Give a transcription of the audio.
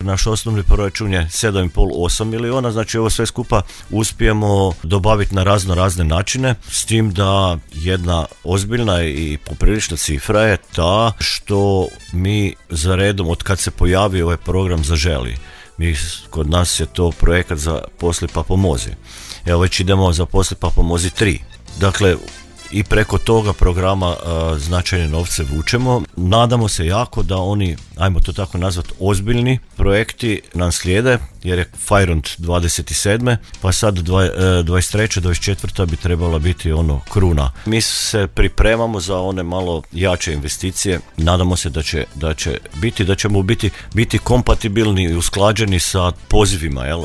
naš osnovni proračun je 7,5-8 milijuna, znači ovo sve skupa uspijemo dobaviti na razne načine, s tim da jedna ozbiljna i poprilična cifra je ta što mi za redom, od kad se pojavio ovaj program Zaželi, kod nas je to projekat za Posli pa pomozi. Evo već idemo za Posli pa pomozi 3. Dakle, i preko toga programa značajne novce vučemo. Nadamo se jako da oni, ajmo to tako nazvati, ozbiljni projekti nam slijede, jer je Fajront 27. pa sad 23. 24. bi trebala biti kruna. Mi se pripremamo za one malo jače investicije. Nadamo se da ćemo biti kompatibilni i usklađeni sa pozivima, jel?